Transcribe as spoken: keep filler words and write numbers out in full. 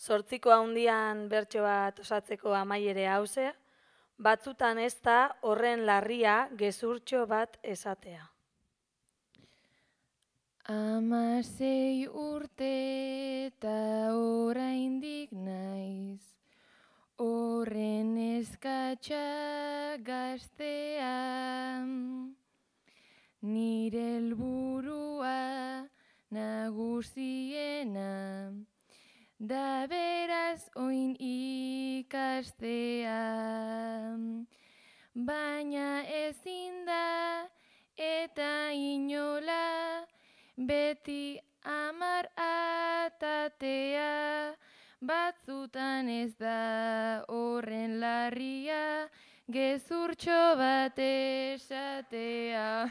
Zortziko handian bertso bat osatzeko amaiere hauze, batzutan ez da horren larria gezurtxo bat esatea. Hamasei urte eta oraindik naiz, horren eskatxa gaztea, nire helburua nagusiena, da beraz oin ikastea, baina ezin da eta inola beti amar atatea, batzutan ez da horren larria gezurtxo bat esatea.